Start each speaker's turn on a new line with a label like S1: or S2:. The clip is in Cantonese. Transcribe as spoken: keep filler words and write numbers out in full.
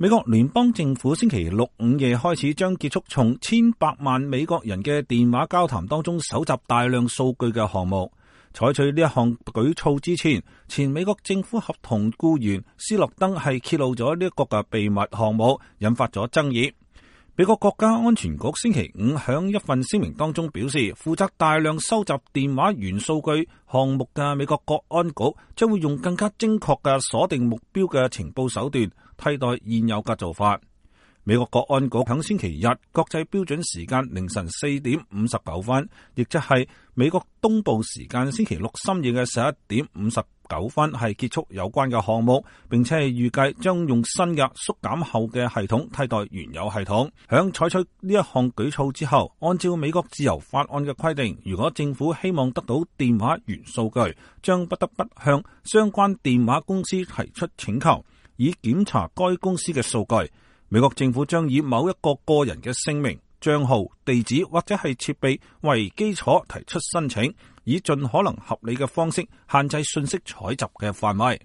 S1: 美國聯邦政府星期六午夜開始將結束從千百萬美國人嘅電話交談當中搜集大量數據嘅項目。採取呢一項舉措之前，前美國政府合同僱員斯諾登係揭露咗呢一個嘅秘密項目，引發咗爭議。美國國家安全局星期五響一份聲明當中表示，負責大量收集電話元數據項目嘅美國國安局將會用更加精確嘅鎖定目標嘅情報手段，替代現有嘅做法。美國國安局響星期日國際標準時間凌晨四點五十九分，亦即係美國東部時間星期六深夜嘅十一點五十九分，係結束有關嘅項目，並且係預計將用新嘅縮減後嘅系統替代原有系統。響採取呢一項舉措之後，按照美國自由法案嘅規定，如果政府希望得到電話元數據，將不得不向相關電話公司提出請求，以檢查該公司嘅數據。美國政府將以某一個個人嘅姓名、賬號、地址或者係設備為基礎提出申請，以盡可能合理嘅方式限制信息採集嘅範圍。